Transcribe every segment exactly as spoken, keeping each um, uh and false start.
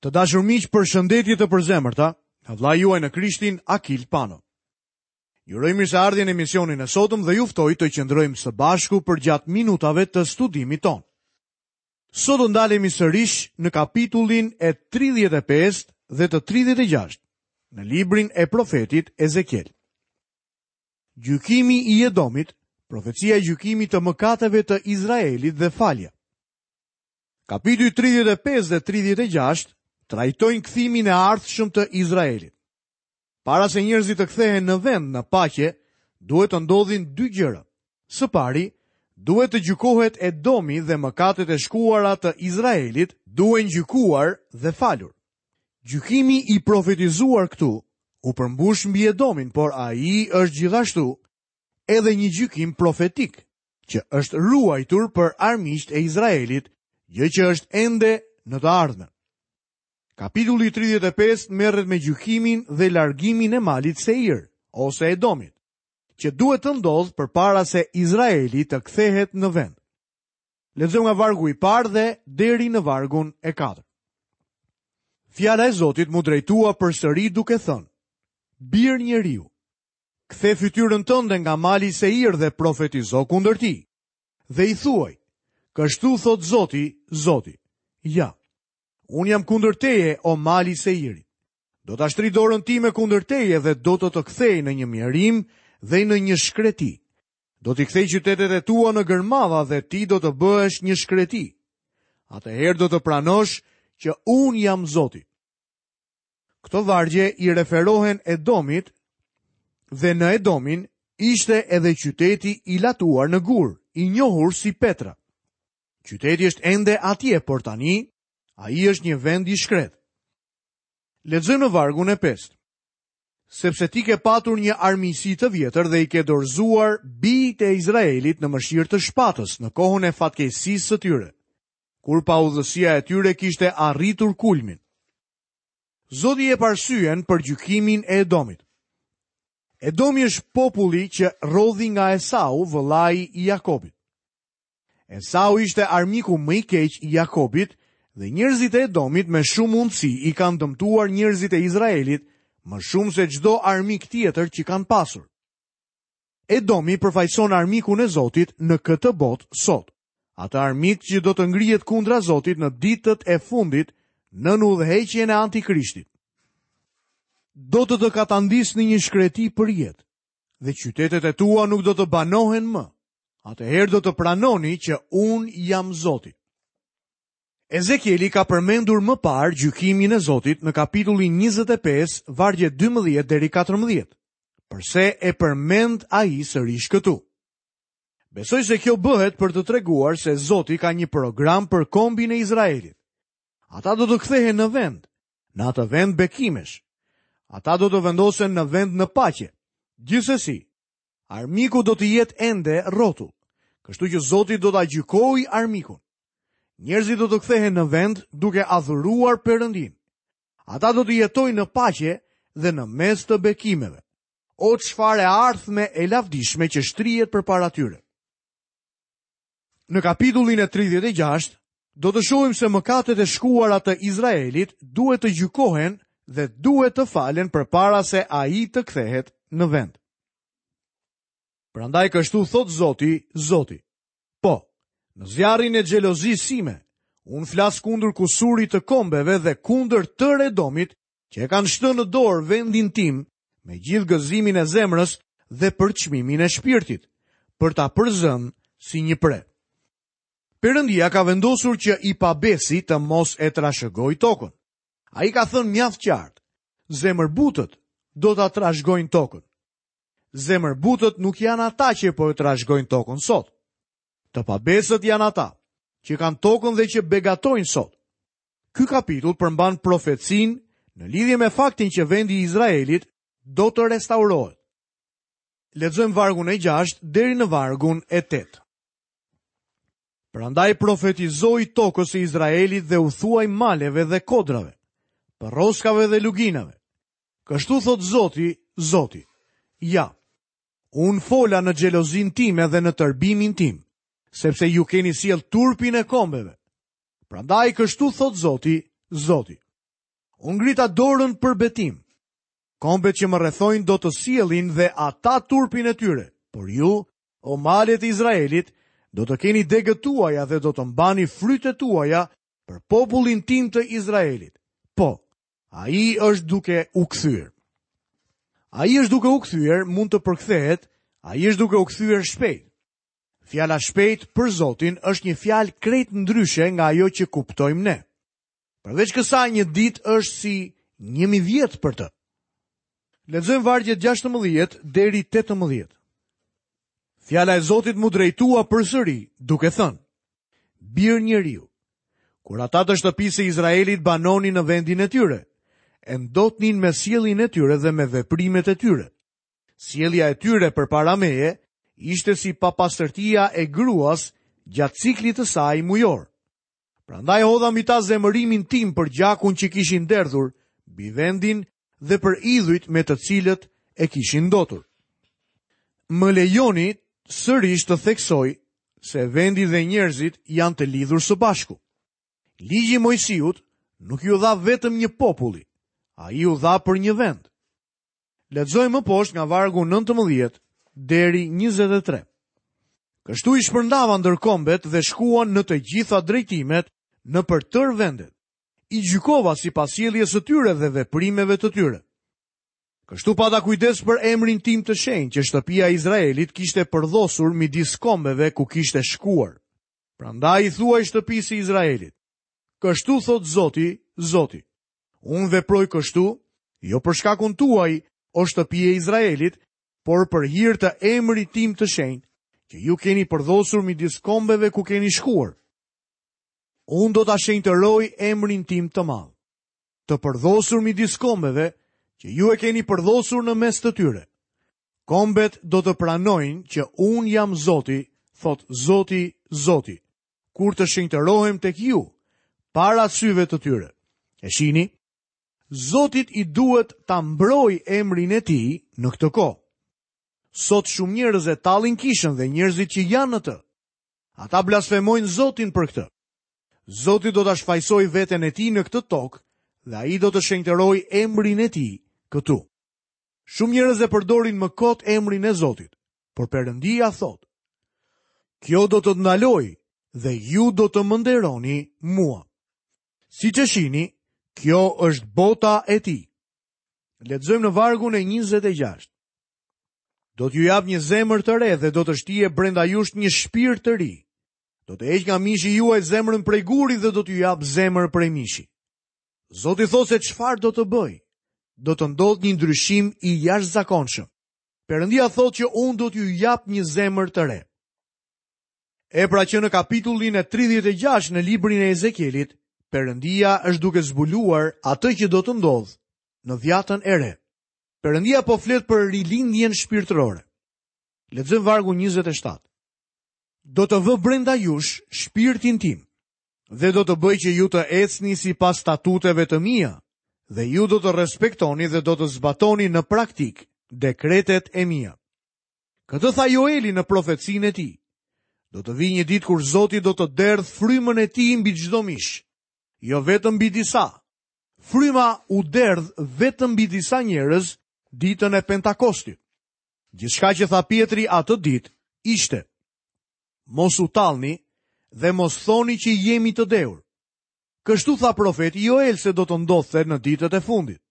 Të dashur miq, përshëndetje të përzemërta nga vëllai juaj në Krishtin, Akil Pano. Ju uroj mirëseardhje në emisionin e sotëm dhe ju ftoj të qëndrojmë së bashku përgjatë minutave të studimit tonë. Sot do ndalemi sërish në kapitullin e tridhjetë e pesë dhe të tridhjetë e gjashtë në librin e profetit Ezekiel. Gjykimi i Edomit, profecia e gjykimit të mëkateve të Izraelit dhe falja. Kapitulli tridhjetë e pesë dhe tridhjetë e gjashtë trajtojnë kthimin e ardhshëm të Izraelit. Para se njerëzit të kthehen në vend në paqe, duhet të ndodhin dy gjëra. Së pari, duhet të gjykohet Edomi dhe mëkatet e shkuara të Izraelit duhen gjykuar dhe falur. Gjykimi i profetizuar këtu u përmbush mbi Edomin, por ai është gjithashtu edhe një gjykim profetik që është ruajtur për armiqtë e Izraelit, gjë që është ende në të ardhmen. Kapitulli tridhjetë e pesë merret me gjykimin dhe largimin e malit Seir, ose Edomit, që duhet të ndodhë përpara se Izraeli të kthehet në vend. Lexojmë nga vargu i parë dhe deri në vargun e katërt. Fjala e Zotit mu drejtua përsëri duke thënë: Bir njeriu, kthe fytyrën tënde nga mali Seir dhe profetizo kundër tij. Dhe i thuaj: Kështu thot Zoti, Zoti, ja, unë jam kundër teje, o mali Seirit. Do ta shtri dorën time kundër teje dhe do të të kthej në një mjerim dhe në një shkreti. Do t'i kthej qytetet e tua në gërmadha dhe ti do të bëhesh një shkreti. Atëherë do të pranosh që unë jam Zoti. Këto vargje i referohen Edomit dhe në Edomin ishte edhe qyteti i latuar në gur, i njohur si Petra. Qyteti është ende atje, por tani ai është një vend i shkret. Lexojmë në vargun e pestë. Sepse ti ke patur një armiqësi të vjetër dhe i ke dorëzuar bijtë e Izraelit në mëshirë të shpatës në kohën e fatkeqësisë së tyre, kur paudhësia e tyre kishte arritur kulmin. Zoti jep arsyen për gjykimin e Edomit. Edomi është populli që rrodhi nga Esau, vëllai i Jakobit. Esau ishte armiku më i keq i Jakobit dhe njerëzit e Edomit me shumë mundësi i kanë dëmtuar njerëzit e Izraelit më shumë se çdo armik tjetër që kanë pasur. Edomi përfaqëson armikun e Zotit në këtë botë sot. Atë armik që do të ngrihet kundra Zotit në ditët e fundit nën udhëheqjen e Antikrishtit. Do të të katandis në një shkreti për jetë dhe qytetet e tua nuk do të banohen më. Atëherë do të pranoni që unë jam Zoti. Ezekieli ka përmendur më parë gjykimin e Zotit në kapitullin njëzet e pesë, vargje dymbëdhjetë deri katërmbëdhjetë. Përse e përmend ai sërish këtu? Besoj se kjo bëhet për të treguar se Zoti ka një program për kombin e Izraelit. Ata do të kthehen në vend, në atë vend bekimesh. Ata do të vendosen në vend në paqe. Gjithsesi, armiku do të jetë ende rrotull, kështu që Zoti do ta gjykojë armikun. Njerëzit do të kthehen në vend duke adhuruar Perëndin. Ata do të jetojnë në paqe dhe në mes të bekimeve. O çfarë e ardhme e lavdishme që shtrihet përpara tyre. Në kapitullin e tridhjetë e gjashtë do të shohim se mëkatet e shkuara të Izraelit duhet të gjykohen dhe duhet të falen përpara se ai të kthehet në vend. Prandaj kështu thot Zoti, Zoti. Po, në zjarrin e xhelozisë sime, unë flas kundër kusurit të kombeve dhe kundër tërë Edomit që e kanë shtënë në dorë vendin tim me gjithë gëzimin e zemrës dhe përçmimin e shpirtit, për ta përzënë si një pre. Perëndia ka vendosur që i pabesi të mos e trashëgoj tokën. Ai ka thënë mjaft qartë, zemërbutët do ta trashëgojnë tokën. Zemërbutët nuk janë ata që po e trashëgojnë tokën sot. Të pabesët janë ata që kanë tokën dhe që begatojnë sot. Ky kapitull përmban profecinë në lidhje me faktin që vendi i Izraelit do të restaurohet. Lexojmë vargun e gjashtë deri në vargun e tetë. Prandaj profetizoi tokës së Izraelit dhe u thuaj maleve dhe kodrave, përroskave dhe luginave. Kështu thot Zoti, Zoti, ja, unë fola në xhelozin time dhe në tërbimin tim, sepse ju keni sjell turpin e kombeve. Prandaj kështu thot Zoti, Zoti. Unë ngrita dorën për betim. Kombet që më rrethojnë do të sjellin dhe ata turpin e tyre, por ju, o malet e Izraelit, do të keni degët tuaja dhe do të mbani frytet tuaja për popullin tim të Izraelit. Po, ai është duke u kthyer. Ai është duke u kthyer, mund të përkthehet, ai është duke u kthyer shpejt. Fjala shpejt për Zotin është një fjalë krejt ndryshe nga ajo që kuptojmë ne. Përveç kësaj, një ditë është si një mijë vjet për të. Lexojmë vargjet gjashtëmbëdhjetë deri tetëmbëdhjetë. Fjala e Zotit mu drejtua përsëri, duke thënë: Bir njeriu, kur ata të shtëpisë së Izraelit banonin në vendin e tyre, e ndotnin me sjelljen e tyre dhe me veprimet e tyre. Sjellja e tyre përpara meje ishte si papastërtia e gruas gjatë ciklit të saj mujor. Prandaj hodha mbi ta zemërimin tim për gjakun që kishin derdhur mbi vendin dhe për idhujt me të cilët e kishin ndotur. Më lejoni sërish të theksoj se vendi dhe njerëzit janë të lidhur së bashku. Ligji i Moisiut nuk ju dha vetëm një populli, ai ju dha për një vend. Lexojmë më poshtë nga vargu nëntëmbëdhjetë deri njëzet e tre. Kështu i shpërndava ndër kombet dhe shkuan në të gjitha drejtimet në për tërë vendet. I gjykova sipas sjelljes së tyre dhe veprimeve të tyre. Kështu pata kujdes për emrin tim të shenjtë që shtëpia e Izraelit kishte përdhosur midis kombeve ku kishte shkuar. Prandaj i thuaj shtëpisë së Izraelit: Kështu thot Zoti, Zoti. Unë veproj kështu, jo për shkakun tuaj, o shtëpi e Izraelit, por për hir të emrit tim të shenjtë, që ju keni përdhosur midis kombeve ku keni shkuar. Unë do ta shenjtëroj emrin tim të madh, të përdhosur midis kombeve, që ju e keni përdhosur në mes të tyre. Kombet do të pranojnë që unë jam Zoti, thot Zoti, Zoti, kur të shenjtërohem tek ju, para syve të tyre. E shihni, Zotit i duhet ta mbroj emrin e tij në këtë kohë. Sot shumë njerëz e tallin kishën dhe njerëzit që janë në të. Ata blasfemojnë Zotin për këtë. Zoti do ta shfajsojë veten e tij në këtë tokë dhe ai do të shenjtërojë emrin e tij këtu. Shumë njerëz e përdorin më kot emrin e Zotit, por Perëndia thotë: Kjo do të ndalojë dhe ju do të më nderoni mua. Siç e shihni, kjo është bota e tij. Lexojmë në vargun e njëzet e gjashtë. Do t'ju jap një zemër të re dhe do të shtije brenda jush një shpirt të ri. Do të heq nga mishi juaj zemrën prej guri dhe do t'ju jap zemër prej mishi. Zoti thotë se çfarë do të bëj. Do të ndodhë një ndryshim i jashtëzakonshëm. Perëndia thotë që unë do t'ju jap një zemër të re. E pra që në kapitullin e tridhjetë e gjashtë në librin e Ezekielit, Perëndia është duke zbuluar atë që do të ndodhë në dhjatën e re. Perëndia po flet për rilindjen shpirtërore. Lexojmë vargun njëzet e shtatë. Do të vë brenda jush shpirtin tim dhe do të bëj që ju të ecni sipas statuteve të mia dhe ju do të respektoni dhe do të zbatoni në praktik dekretet e mia. Këtë tha Joeli në profecinë e tij. Do të vijë një ditë kur Zoti do të derdh frymën e tij mbi çdo mish, jo vetëm mbi disa. Fryma u derdh vetëm mbi disa njerëz ditën e Pentakostit. Gjithçka që tha Pietri atë ditë ishte: Mos u tallni dhe mos thoni që jemi të dehur. Kështu tha profeti Joel se do të ndodhte në ditët e fundit.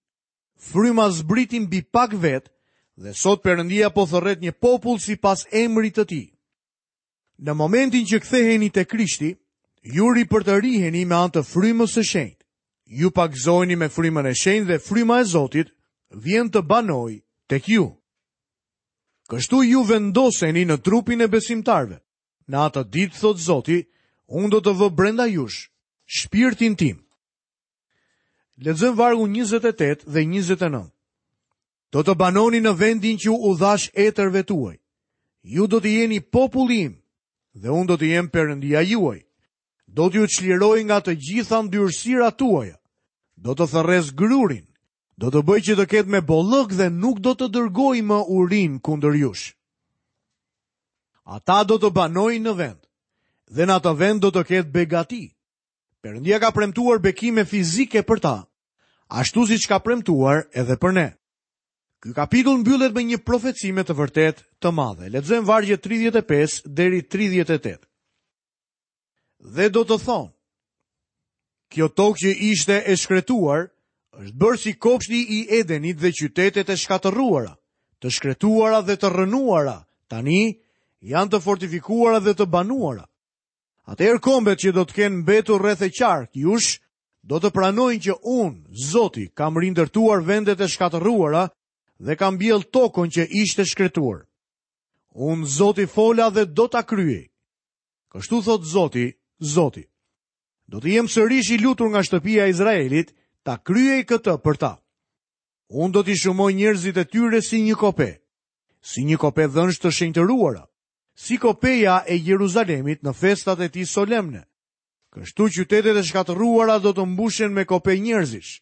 Fryma zbriti mbi pak vet dhe sot Perëndia po thërret një popull sipas emrit të tij. Në momentin që ktheheni te Krishti, ju ripërtëriheni me anë të frymës së shenjtë. Ju pagëzoheni me frymën e shenjtë dhe fryma e Zotit vjen të banojë tek ju. Kështu ju vendoseni në trupin e besimtarëve. Në atë ditë, thot Zoti, unë do të vë brenda jush shpirtin tim. Lexojmë vargun njëzet e tetë dhe njëzet e nëntë. Do të banoni në vendin që u dhash etërve tuaj. Ju do të jeni populli im dhe unë do të jem Perëndia juaj. Do t'ju çliroj nga të gjitha ndyrësirat tuaja. Do të thërres grurin. Do të bëj që të ketë me bollëk dhe nuk do të dërgoj më urin kundër jush. Ata do të banojnë në vend, dhe në atë vend do të ketë begati. Perëndia ka premtuar bekime fizike për ta. ashtu siç ka premtuar edhe për ne. Ky kapitull mbyllet me një profeci me të vërtetë të madhe. Lexojmë vargjet tridhjetë e pesë deri tridhjetë e tetë. Dhe do të thonë: Kjo tokë që ishte e shkretuar është bërë si kopshti i Edenit dhe qytetet e shkatërruara, të shkretuara dhe të rrënuara, tani janë të fortifikuara dhe të banuara. Atëherë kombet që do të kenë mbetur rreth e qark jush do të pranojnë që unë, Zoti, kam rindërtuar vendet e shkatërruara dhe kam mbjell tokën që ishte shkretuar. Unë, Zoti, fola dhe do ta kryej. Kështu thot Zoti, Zoti. Do të jem sërish i lutur nga shtëpia e Izraelit ta kryej këtë për ta. Unë do t'i shumoj njerëzit e tyre si një kope, si një kope dhënsh të shenjtëruara, si kopeja e Jeruzalemit në festat e tij solemne. Kështu qytetet e shkatërruara do të mbushen me kope njerëzish.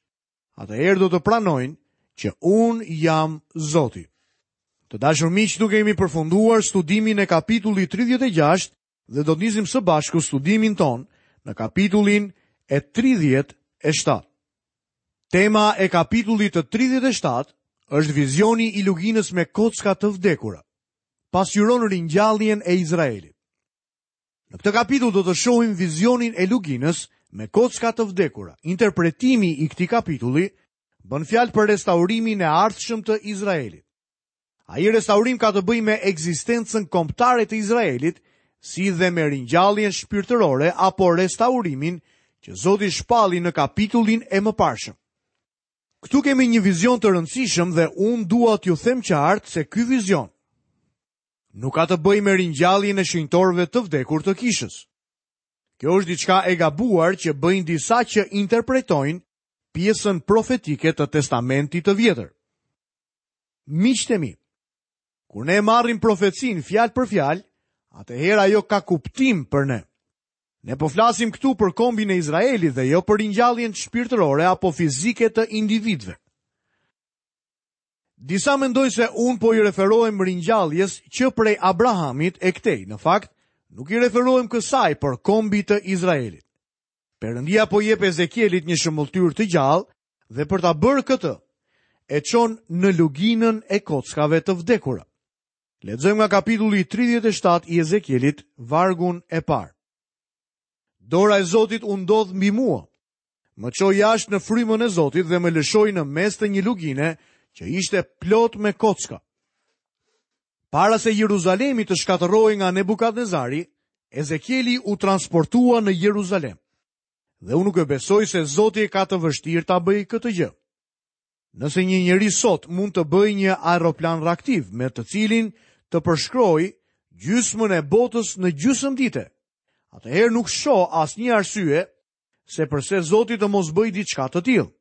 Atëherë do të pranojnë që unë jam Zoti. Të dashur miq, këtu kemi përfunduar studimin e kapitullit tridhjetë e gjashtë dhe do të nisim së bashku studimin ton në kapitullin e tridhjetë e shtatë. Tema e kapitullit të tridhjetë e shtatë është vizioni i luginës me kocka të vdekura. Pasqyron ringjalljen e Izraelit. Në këtë kapitull do të shohim vizionin e luginës me kocka të vdekura. Interpretimi i këtij kapitulli bën fjalë për restaurimin e ardhshëm të Izraelit. Ai restaurim ka të bëjë me ekzistencën kombëtare të Izraelit, si dhe me ringjalljen shpirtërore apo restaurimin që Zoti shpalli në kapitullin e mëparshëm. Këtu kemi një vizion të rëndësishëm dhe unë dua t'ju them qartë se ky vizion nuk ka të bëjë me ringjalljen e shenjtorëve të vdekur të kishës. Kjo është diçka e gabuar që bëjnë disa që interpretojnë pjesën profetike të Testamentit të Vjetër. Miqtë e mi, kur ne marrim profecinë fjalë për fjalë, atëherë ajo ka kuptim për ne. Ne po flasim këtu për kombin e Izraelit dhe jo për ringjalljen shpirtërore apo fizike të individëve. Disa mendojnë se unë po i referohem ringjalljes që prej Abrahamit e këtej. Në fakt, nuk i referohem kësaj, por kombit të Izraelit. Perëndia po jep Ezekielit një shëmbëlltyrë të gjallë dhe për ta bërë këtë, e çon në luginën e kockave të vdekura. Lexojmë nga kapitulli tridhjetë e shtatë i Ezekielit, vargun e parë. Dora e Zotit u ndodh mbi mua. Më çoi jashtë në frymën e Zotit dhe më lëshoi në mes të një lugine që ishte plot me kocka. Para se Jeruzalemi të shkatërrohej nga Nebukadnezari, Ezekieli u transportua në Jeruzalem. Dhe unë nuk e besoj se Zoti e ka të vështirë ta bëjë këtë gjë. Nëse një njeri sot mund të bëjë një aeroplan reaktiv me të cilin të përshkrojë gjysmën e botës në gjysmë dite, atëherë nuk shoh asnjë arsye se përse Zoti të mos bëjë diçka të tillë.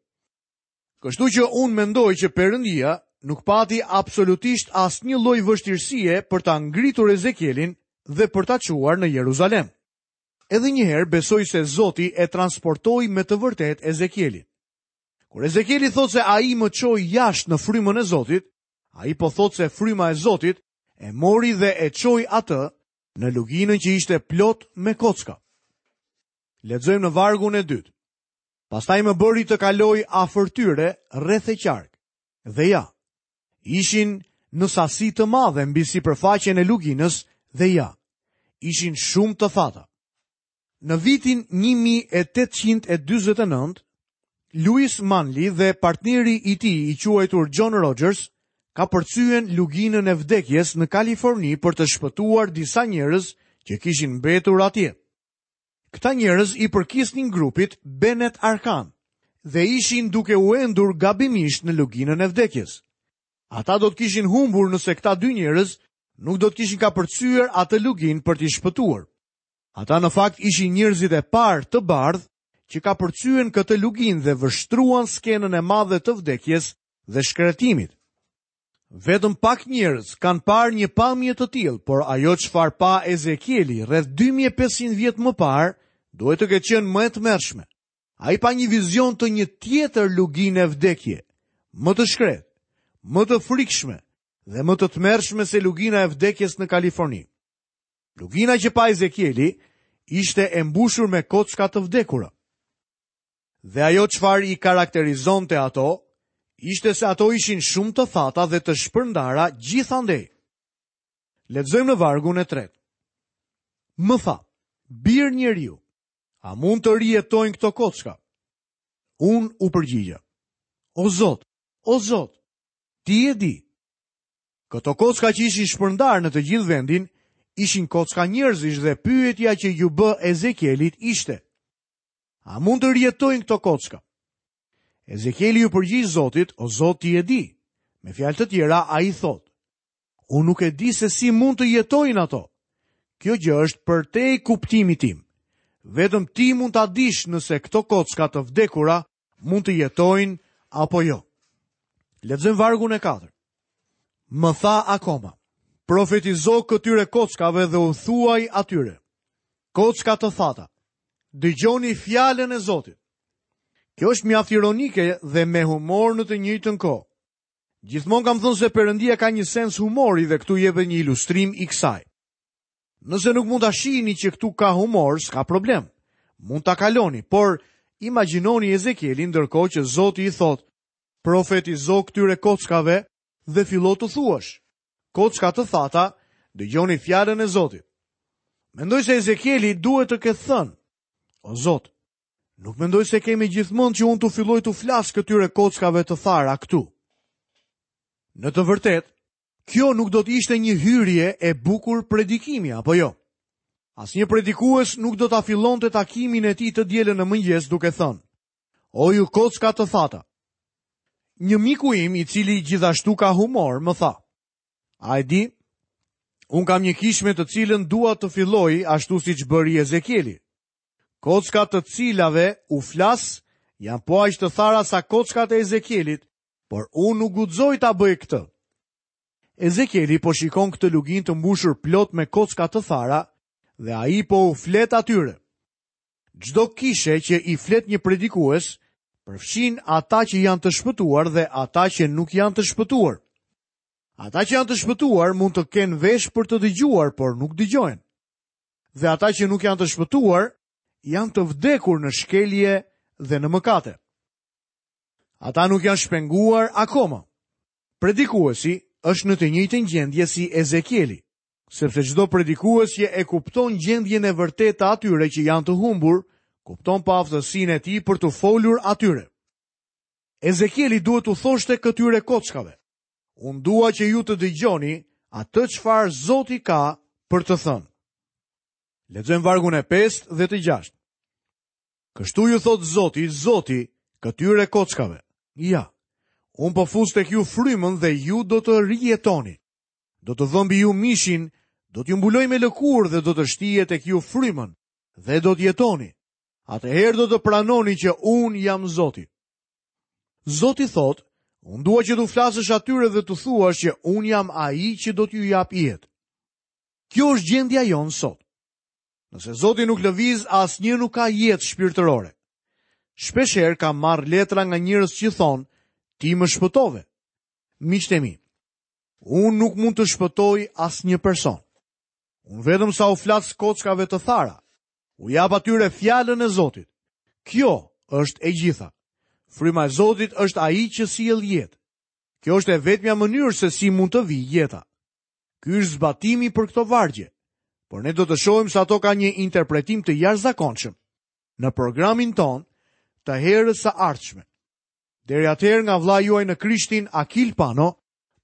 Kështu që unë mendoj që Perëndia nuk pati absolutisht asnjë lloj vështirësie për ta ngritur Ezekielin dhe për ta çuar në Jeruzalem. Edhe një herë besoj se Zoti e transportoi me të vërtetë Ezekielin. Kur Ezekieli thotë se ai më çoi jashtë në frymën e Zotit, ai po thotë se fryma e Zotit e mori dhe e çoi atë në luginën që ishte plot me kocka. Lexojmë në vargun e dytë. Pastaj më bëri të kaloj afër tyre rreth e qark. Dhe ja, ishin në sasi të madhe mbi sipërfaqen e luginës dhe ja, ishin shumë të thata. Në vitin një mijë e tetëqind e dyzet e nëntë, Louis Manley dhe partneri i tij i quajtur John Rogers ka përcyen luginën e vdekjes në Kaliforni për të shpëtuar disa njerëz që kishin mbetur atje. Këta njerëz i përkisnin grupit Bennett Arkan dhe ishin duke u endur gabimisht në luginën e vdekjes. Ata do të kishin humbur nëse këta dy njerëz nuk do të kishin kapërcyer atë luginë për t'i shpëtuar. Ata në fakt ishin njerëzit e parë të bardhë që kapërcyen këtë luginë dhe vështruan skenën e madhe të vdekjes dhe shkretimit. Vetëm pak njerëz kanë parë një pamje të tillë, por ajo çfarë pa Ezekieli rreth dy mijë e pesëqind vjet më parë duhet të ketë qenë më e tmerrshme. Ai pa një vizion të një tjetër lugine vdekje, më të shkretë, më të frikshme dhe më të tmerrshme se lugina e vdekjes në Kaliforni. Lugina që pa Ezekieli ishte e mbushur me kocka të vdekura. Dhe ajo çfarë i karakterizonte ato, ishte se ato ishin shumë të thata dhe të shpërndara gjithandej. Lexojmë në vargun e tretë. Më tha, bir njeriu, a mund të rijetojnë këto kocka? Unë u përgjigja, o Zot, o Zot, ti e di. Këto kocka që ishin shpërndarë në të gjithë vendin, ishin kocka njerëzish dhe pyetja që iu bë Ezekielit ishte, a mund të rijetojnë këto kocka? Ezekieli iu përgjigj Zotit, o Zot, ti e di. Me fjalë të tjera, ai thotë, unë nuk e di se si mund të jetojnë ato. Kjo gjë është përtej kuptimit tim. Vetëm ti mund ta dish nëse këto kocka të vdekura mund të jetojnë apo jo. Lexojmë vargun e katërt. Më tha akoma, profetizo këtyre kockave dhe u thuaj atyre, kocka të thata, dëgjoni fjalën e Zotit. Kjo është mjaft ironike dhe me humor në të njëjtën kohë. Gjithmonë kam thënë se Perëndia ka një sens humori dhe këtu jepet një ilustrim i kësaj. Nëse nuk mund ta shihni që këtu ka humor, s'ka problem. Mund ta kaloni, por imagjinoni Ezekielin ndërkohë që Zoti i thotë, profetizo këtyre kockave dhe fillo të thuash, kocka të thata, dëgjoni fjalën e Zotit. Mendoj se Ezekieli duhet të ketë thënë, o Zot, nuk mendoj se kemi gjithmonë që unë të filloj të flas këtyre kockave të thara këtu. Në të vërtetë, kjo nuk do të ishte një hyrje e bukur predikimi, apo jo? Asnjë predikues nuk do ta fillonte takimin e tij të dielën në mëngjes duke thënë, o ju kocka të thata. Një miku im, i cili gjithashtu ka humor, më tha, a e di, unë kam një kishë me të cilën dua të filloj ashtu siç bëri Ezekieli. Kockat të cilave u flas janë po aq të thara sa kockat e Ezekielit, por unë nuk guxoj ta bëj këtë. Ezekieli po shikon këtë luginë të mbushur plot me kocka të thara dhe ai po u flet atyre. Çdo kishe që i flet një predikues përfshin ata që janë të shpëtuar dhe ata që nuk janë të shpëtuar. Ata që janë të shpëtuar mund të kenë vesh për të dëgjuar, por nuk dëgjojnë. Dhe ata që nuk janë të shpëtuar janë të vdekur në shkelje dhe në mëkate. Ata nuk janë shpenguar akoma. Predikuesi është në të njëjtën gjendje si Ezekieli, sepse çdo predikues që e kupton gjendjen e vërtetë të atyre që janë të humbur, kupton paaftësinë e tij për të folur atyre. Ezekieli duhet t'u thoshte këtyre kockave, unë dua që ju të dëgjoni atë çfarë Zoti ka për të thënë. Lexojmë vargun e pestë dhe të gjashtë. Kështu ju thot Zoti, Zoti, këtyre kockave. Ja, unë po fus tek ju frymën dhe ju do të rijetoni. Do të vë mbi ju mishin, do t'ju mbuloj me lëkurë dhe do të shtije tek ju frymën dhe do të jetoni. Atëherë do të pranoni që unë jam Zoti. Zoti thot, unë dua që t'u flasësh atyre dhe t'u thuash që unë jam ai që do t'ju jap jetë. Kjo është gjendja jonë sot. Nëse Zoti nuk lëviz, asnjë nuk ka jetë shpirtërore. Shpeshherë kam marrë letra nga njerëz që thonë, ti më shpëtove. Miqtë e mi, unë nuk mund të shpëtoj asnjë person. Unë vetëm sa u flas kockave të thara, u jap atyre fjalën e Zotit. Kjo është e gjitha. Fryma e Zotit është ai që sjell jetë. Kjo është e vetmja mënyrë se si mund të vijë jeta. Ky është zbatimi për këto vargje, por ne do të shohim se ato kanë një interpretim të jashtëzakonshëm në programin ton të herës së ardhshme. Deri atëherë nga vllai juaj në Krishtin Akil Pano,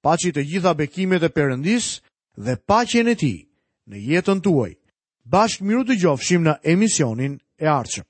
paçi të gjitha bekimet e Perëndisë dhe paqen e tij në jetën tuaj. Bashkë miru dëgjofshim në emisionin e ardhshëm.